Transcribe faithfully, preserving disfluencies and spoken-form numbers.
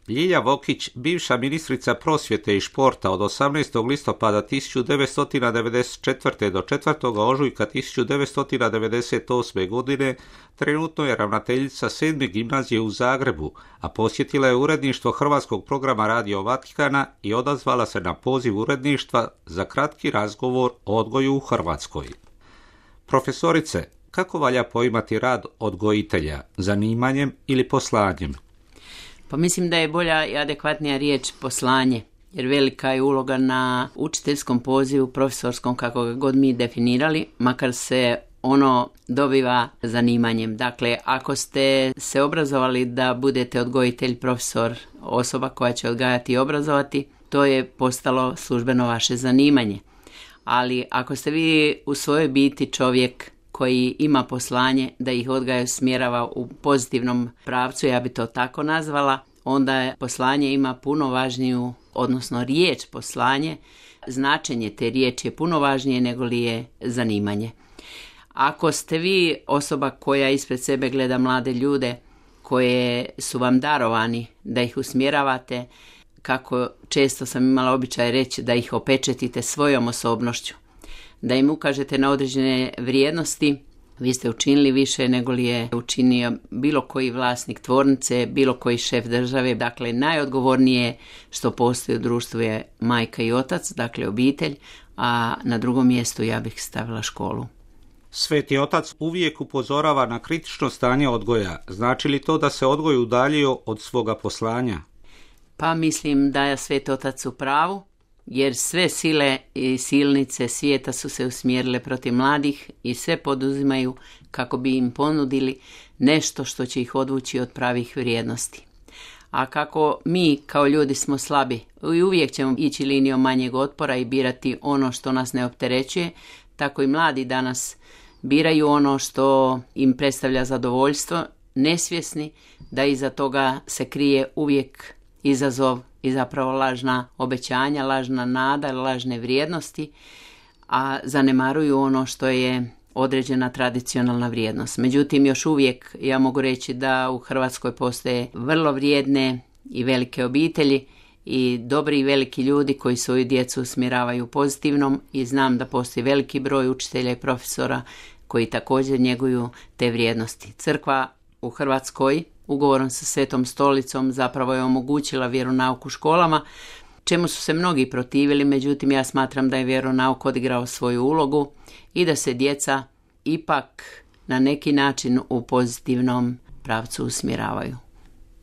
Ljilja Vokić, bivša ministrica prosvjete i športa od osamnaestog listopada tisuću devetsto devedeset četvrte. do četvrtog ožujka tisuću devetsto devedeset osme. godine, trenutno je ravnateljica sedme gimnazije u Zagrebu, a posjetila je uredništvo hrvatskog programa Radio Vatikana i odazvala se na poziv uredništva za kratki razgovor o odgoju u Hrvatskoj. Profesorice, kako valja poimati rad odgojitelja, zanimanjem ili poslanjem? Pa mislim da je bolja i adekvatnija riječ poslanje, jer velika je uloga na učiteljskom pozivu, profesorskom, kako ga god mi definirali, makar se ono dobiva zanimanjem. Dakle, ako ste se obrazovali da budete odgojitelj, profesor, osoba koja će odgajati i obrazovati, to je postalo službeno vaše zanimanje. Ali ako ste vi u svojoj biti čovjek koji ima poslanje da ih odgaja i smjerava u pozitivnom pravcu, ja bi to tako nazvala, onda je poslanje ima puno važniju, odnosno riječ poslanje, značenje te riječi je puno važnije nego li je zanimanje. Ako ste vi osoba koja ispred sebe gleda mlade ljude koje su vam darovani da ih usmjeravate, kako često sam imala običaj reći, da ih opečetite svojom osobnošću, da im ukažete na određene vrijednosti, vi ste učinili više nego li je učinio bilo koji vlasnik tvornice, bilo koji šef države. Dakle, najodgovornije što postoji u društvu je majka i otac, dakle obitelj, a na drugom mjestu ja bih stavila školu. Sveti otac uvijek upozorava na kritično stanje odgoja. Znači li to da se odgoj udaljio od svoga poslanja? Pa mislim da je Sveti otac u pravu, jer sve sile i silnice svijeta su se usmjerile protiv mladih i sve poduzimaju kako bi im ponudili nešto što će ih odvući od pravih vrijednosti. A kako mi kao ljudi smo slabi i uvijek ćemo ići linijom manjeg otpora i birati ono što nas ne opterećuje, tako i mladi danas biraju ono što im predstavlja zadovoljstvo, nesvjesni da iza toga se krije uvijek izazov i zapravo lažna obećanja, lažna nada, lažne vrijednosti, a zanemaruju ono što je određena tradicionalna vrijednost. Međutim, još uvijek ja mogu reći da u Hrvatskoj postoje vrlo vrijedne i velike obitelji i dobri i veliki ljudi koji svoju djecu usmjeravaju pozitivnom, i znam da postoji veliki broj učitelja i profesora koji također njeguju te vrijednosti. Crkva u Hrvatskoj ugovorom sa Svetom stolicom zapravo je omogućila vjeronauk u školama, čemu su se mnogi protivili, međutim ja smatram da je vjeronauk odigrao svoju ulogu i da se djeca ipak na neki način u pozitivnom pravcu usmjeravaju.